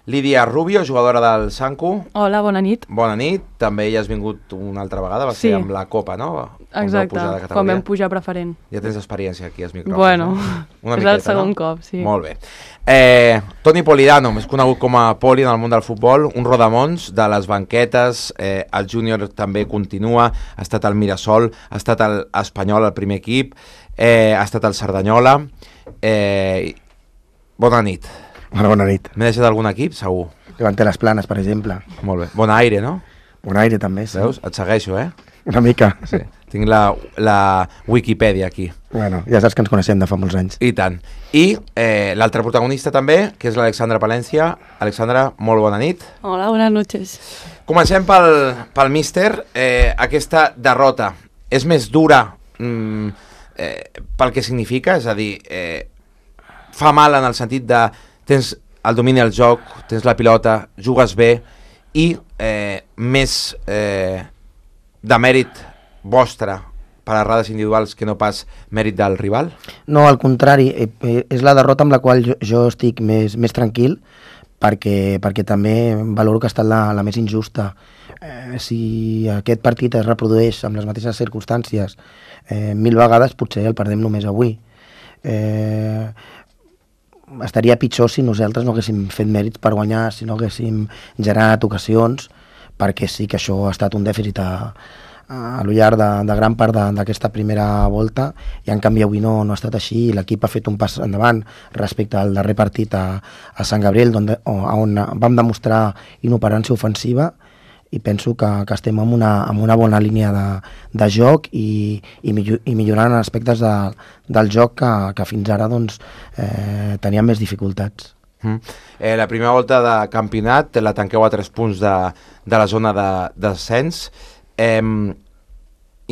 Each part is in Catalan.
Lídia Rubio, jugadora del Sanku. Hola, bona nit. Bona nit. També ja has vingut una altra vegada, va ser amb la Copa, no? Exacte, quan vam pujar preferent. Ja tens experiència aquí als micròfons. Bueno, una és miqueta, el segon cop, sí. Molt bé. Toni Polidano, més conegut com a Poli en el món del futbol, un rodamons de les banquetes, el júnior també continua, ha estat al Mirasol, ha estat al Espanyol, al primer equip, ha estat al Cerdanyola. Bona nit. Bona nit. M'he deixat algun equip, segur. Levante les Planes, per exemple. Molt bé. Bon aire, no? Bon aire, també, sí. Veus? Et segueixo, Una mica. Sí. Tinc la Wikipedia aquí. Bueno, ja saps que ens coneixem de fa molts anys. I tant. I l'altre protagonista també, que és l'Alexandra Palencia. Alexandra, molt bona nit. Hola, buenas noches. Comencem pel míster. Aquesta derrota és més dura pel que significa? És a dir, fa mal en el sentit de tens el domini del joc, tens la pilota, jugues bé i més de mèrit vostre per errades individuals que no pas mèrit del rival? No, al contrari, és la derrota amb la qual jo estic més tranquil perquè també valoro que ha estat la més injusta. Si aquest partit es reprodueix amb les mateixes circumstàncies 1000 vegades, potser el perdem només avui. Estaria pitjor si nosaltres no haguéssim fet mèrits per guanyar, si no haguéssim generat ocasions, perquè sí que això ha estat un dèficit a lo llarg de gran part d'aquesta primera volta, i en canvi avui no ha estat així, i l'equip ha fet un pas endavant respecte al darrer partit a Sant Gabriel, on vam demostrar inoperància ofensiva, i penso que estem en una bona línia de joc i millorant aspectes del joc que fins ara teníem més dificultats. La primera volta de campionat la tanqueu a 3 punts de la zona de descens.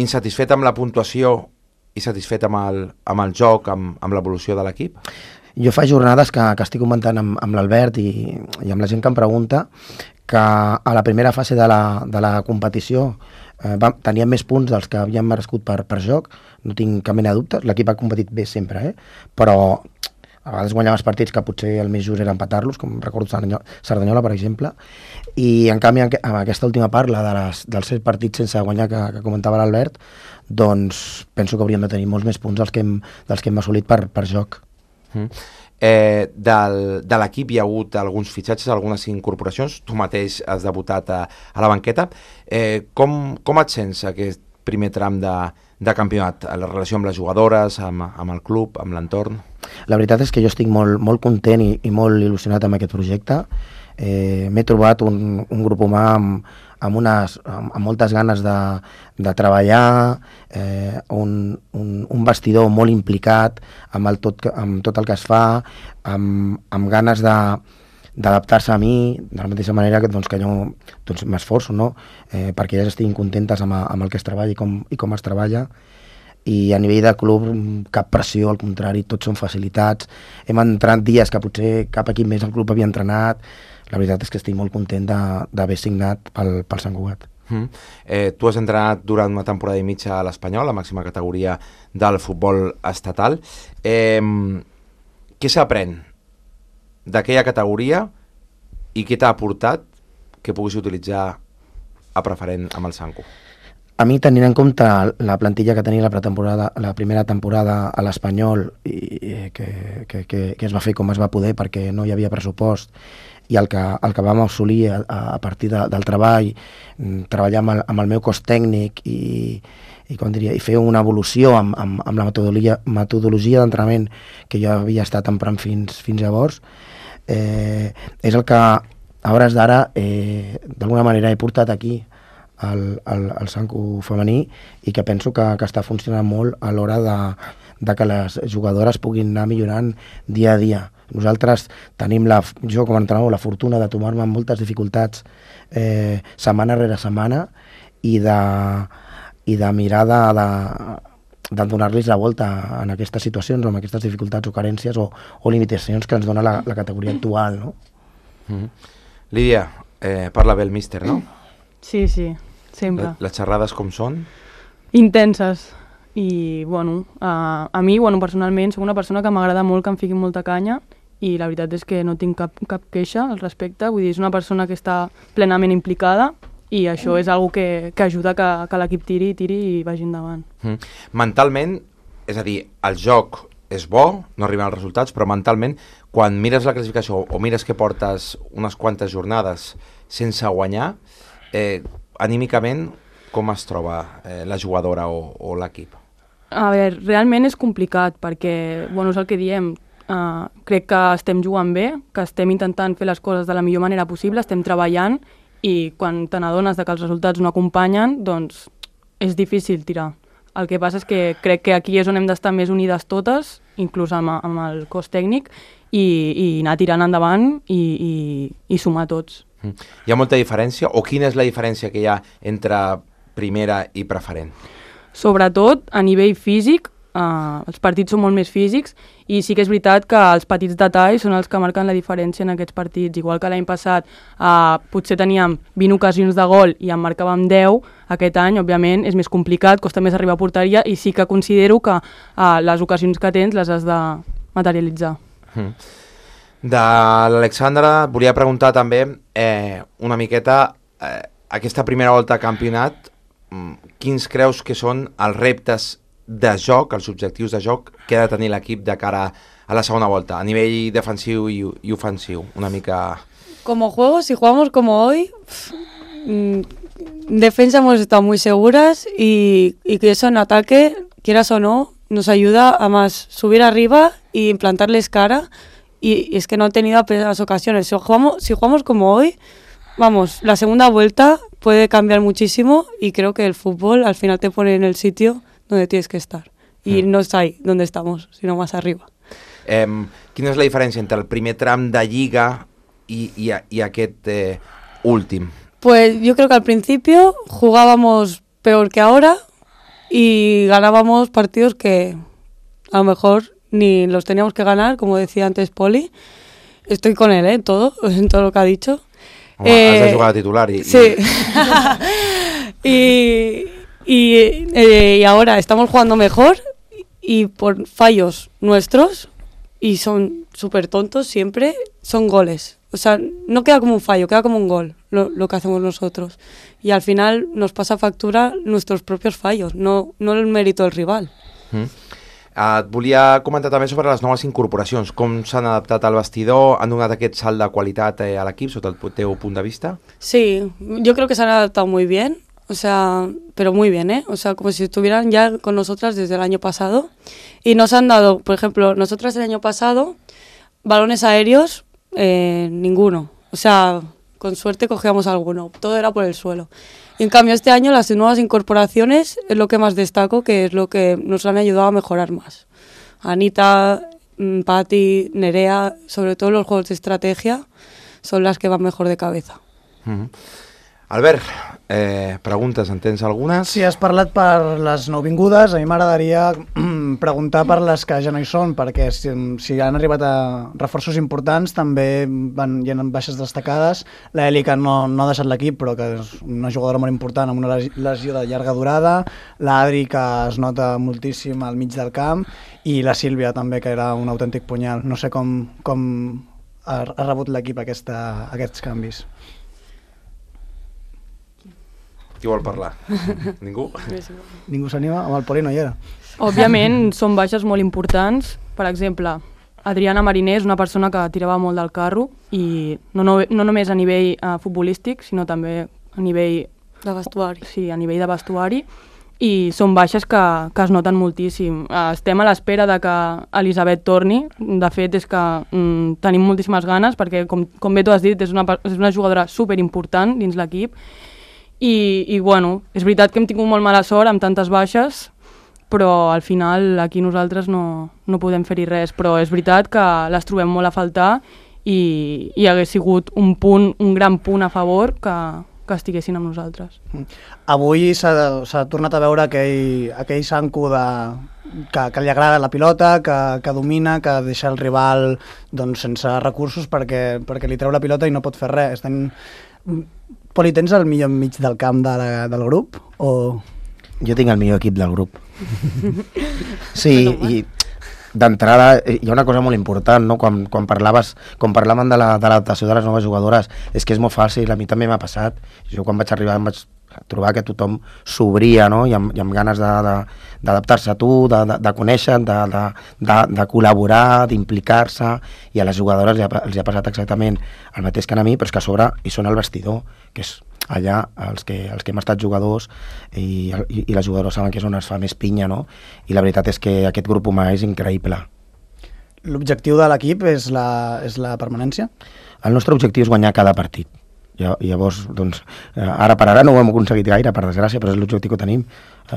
Insatisfet amb la puntuació i satisfet amb el joc, amb l'evolució de l'equip? Jo fa jornades que estic comentant amb l'Albert i amb la gent que em pregunta que a la primera fase de la competició teníem més punts dels que havíem merescut per joc, no tinc cap mena de dubtes, l'equip ha competit bé sempre, però a vegades guanyaves partits que potser el més just era empatar-los, com recordo Cerdanyola, per exemple, i en canvi amb aquesta última part, la dels 7 partits sense guanyar que comentava l'Albert, doncs penso que hauríem de tenir molts més punts dels que hem assolit per joc. De l'equip hi ha hagut alguns fitxatges, algunes incorporacions, tu mateix has debutat a la banqueta. Com et sents aquest primer tram de campionat, la relació amb les jugadores, amb el club, amb l'entorn? La veritat és que jo estic molt content i molt il·lusionat amb aquest projecte. M'he trobat un grup humà amb moltes ganes de treballar, un vestidor molt implicat amb tot el que es fa, amb ganes d'adaptar-se a mi, de la mateixa manera que jo m'esforço, no? Perquè elles estiguin contentes amb el que es treballa i com es treballa. I a nivell de club cap pressió, al contrari, tots són facilitats. Hem entrenat dies que potser cap equip més del club havia entrenat. La veritat és que estic molt content d'haver signat pel Sant Cugat. Tu has entrenat durant una temporada i mitja a l'Espanyol, la màxima categoria del futbol estatal. Què s'aprèn d'aquella categoria i què t'ha aportat que puguis utilitzar a preferent amb el Sanku? A mi, tenint en compte la plantilla que tenia la primera temporada a l'Espanyol, que es va fer com es va poder perquè no hi havia pressupost, i el que vam assolir a partir del treball, treballar amb el meu cos tècnic i fer una evolució amb la metodologia d'entrenament que jo havia estat emprant fins llavors, és el que a hores d'ara d'alguna manera he portat aquí al Sanku femení, i que penso que està funcionant molt a l'hora de que les jugadores puguin anar millorant dia a dia. Nosaltres tenim, jo com a entrenador, la fortuna de trobar-me amb moltes dificultats setmana rere setmana i de mirar de donar-los la volta en aquestes situacions, amb aquestes dificultats o carències o limitacions que ens dona la categoria actual, no? Lídia, parla bé el míster, no? Sí, sempre. Les xerrades com són? Intenses. I, a mi, personalment, soc una persona que m'agrada molt que em fiqui molta canya i la veritat és que no tinc cap queixa al respecte, vull dir, és una persona que està plenament implicada i això és algo que ajuda que l'equip tiri i vagi endavant. Mentalment, és a dir, el joc és bo, no arriben els resultats, però mentalment, quan mires la classificació o mires que portes unes quantes jornades sense guanyar, anímicament, com es troba la jugadora o l'equip? A veure, realment és complicat perquè, bueno, és el que diem, crec que estem jugant bé, que estem intentant fer les coses de la millor manera possible, estem treballant i quan te n'adones que els resultats no acompanyen, doncs és difícil tirar. El que passa és que crec que aquí és on hem d'estar més unides totes, inclús amb el cos tècnic, i anar tirant endavant i sumar tots. Hi ha molta diferència? O quina és la diferència que hi ha entre primera i preferent? Sobretot a nivell físic, els partits són molt més físics i sí que és veritat que els petits detalls són els que marquen la diferència en aquests partits. Igual que l'any passat potser teníem 20 ocasions de gol i en marcàvem 10, aquest any, òbviament, és més complicat, costa més arribar a porteria i sí que considero que les ocasions que tens les has de materialitzar. De l'Alexandra volia preguntar també una miqueta aquesta primera volta a campionat, quins creus que són els reptes de joc, els objectius de joc que ha de tenir l'equip de cara a la segunda volta, a nivell defensiu y ofensiu, una mica... Como juego, si jugamos como hoy, en defensa hemos estado muy seguras y que eso en ataque, quieras o no, nos ayuda a más subir arriba y implantarles cara y es que no han tenido apenas ocasiones. Si jugamos como hoy, vamos, la segunda vuelta puede cambiar muchísimo y creo que el fútbol al final te pone en el sitio donde tienes que estar. Y no es ahí donde estamos, sino más arriba. Quina és la diferència entre el primer tram de Lliga i aquest últim? Pues yo creo que al principio jugábamos peor que ahora y ganábamos partidos que a lo mejor ni los teníamos que ganar, como decía antes Poli. Estoy con él, en todo lo que ha dicho. Home, has de jugar a titular y... Sí. Y ahora estamos jugando mejor y por fallos nuestros, y son súper tontos siempre, son goles. O sea, no queda como un fallo, queda como un gol lo que hacemos nosotros. Y al final nos pasa factura nuestros propios fallos, no el mérito del rival. Et volia comentar també sobre les noves incorporacions, com s'han adaptat al vestidor, han donat aquest salt de qualitat a l'equip sota el teu punt de vista? Sí, yo creo que se han adaptado muy bien. O sea, pero muy bien, ¿eh? O sea, como si estuvieran ya con nosotras desde el año pasado. Y nos han dado, por ejemplo, nosotras el año pasado, balones aéreos, ninguno. O sea, con suerte cogíamos alguno. Todo era por el suelo. Y en cambio este año las nuevas incorporaciones es lo que más destaco, que es lo que nos han ayudado a mejorar más. Anita, Patti, Nerea, sobre todo los juegos de estrategia, son las que van mejor de cabeza. Albert, preguntes, en tens algunes? Sí, has parlat per les nouvingudes, a mi m'agradaria preguntar per les que ja no hi són, perquè si han arribat a reforços importants també hi ha baixes destacades. La Eli, que no ha deixat l'equip, però que és una jugadora molt important amb una lesió de llarga durada, l'Adri, que es nota moltíssim al mig del camp, i la Sílvia també, que era un autèntic punyal. No sé com ha rebut l'equip aquests canvis. Qui vol parlar? Ningú? Ningú s'anima? Amb el Poli no hi era. Òbviament són baixes molt importants. Per exemple, Adriana Mariner és una persona que tirava molt del carro i no només a nivell futbolístic, sinó també a nivell... De vestuari. Sí, a nivell de vestuari. I són baixes que es noten moltíssim. Estem a l'espera de que Elisabet torni. De fet, és que tenim moltíssimes ganes perquè, com bé tu has dit, és una jugadora superimportant dins l'equip. I bueno, és veritat que hem tingut molt mala sort amb tantes baixes, però al final aquí nosaltres no podem fer-hi res, però és veritat que les trobem molt a faltar i hagués sigut un gran punt a favor que estiguessin amb nosaltres. Avui s'ha tornat a veure aquell Sanku que li agrada la pilota, que domina, que deixa el rival sense recursos perquè li treu la pilota i no pot fer res. Poli, tens el millor mig del camp del grup? O... Jo tinc el millor equip del grup. Sí, i d'entrada hi ha una cosa molt important, no? Quan parlàvem de l'adaptació de les noves jugadores, és que és molt fàcil, a mi també m'ha passat. Jo quan vaig arribar em vaig trobar que tothom s'obria, no? I amb ganes d'adaptar-se a tu, de conèixer, de col·laborar, d'implicar-se, i a les jugadores els ha passat exactament el mateix que a mi, però és que a sobre hi són al vestidor, que és allà els que hem estat jugadors i les jugadores saben que és on es fa més pinya, no? I la veritat és que aquest grup humà és increïble. L'objectiu de l'equip és la permanència? El nostre objectiu és guanyar cada partit. Llavors, doncs, ara per ara no ho hem aconseguit gaire, per desgràcia, però és l'objectiu que tenim.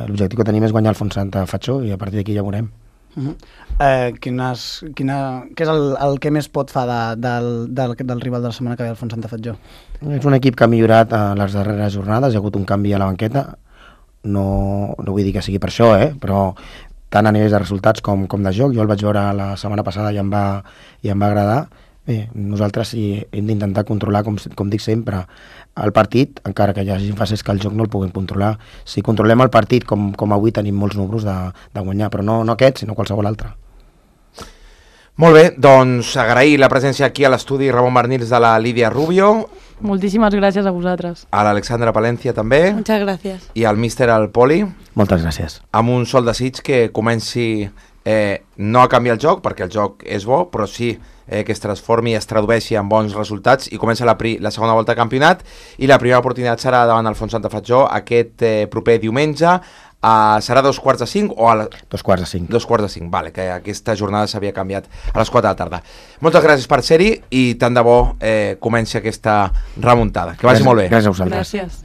L'objectiu que tenim és guanyar el Fontsanta Fatxó i a partir d'aquí ja veurem. Què és el que més pot fa del rival de la setmana que ve, el Fontsanta Fatxó? És un equip que ha millorat a les darreres jornades, hi ha hagut un canvi a la banqueta, no vull dir que sigui per això, però tant a nivell de resultats com de joc. Jo el vaig veure la setmana passada i em va agradar. Bé, nosaltres hem d'intentar controlar, com dic sempre, el partit, encara que hi hagi fases que el joc no el puguem controlar. Si controlem el partit, com avui tenim molts números de guanyar, però no aquest, sinó qualsevol altre. Molt bé, doncs agrair la presència aquí a l'estudi Ramon Barnils de la Lídia Rubio. Moltíssimes gràcies a vosaltres. A l'Alexandra Palencia també. Muchas gracias. I al míster al Poli. Moltes gràcies. Amb un sol desig que comenci no a canviar el joc, perquè el joc és bo, però sí que es transformi i es tradueixi en bons resultats i comença la segona volta de campionat i la primera oportunitat serà davant el Fontsanta Fatxó aquest proper diumenge. Serà 2:45 o a 2:45. 2:45, vale, que aquesta jornada s'havia canviat a les 4 de la tarda. Moltes gràcies per ser-hi i tant de bo comenci aquesta remuntada. Que vagi molt bé. Gràcies a vosaltres. Gràcies.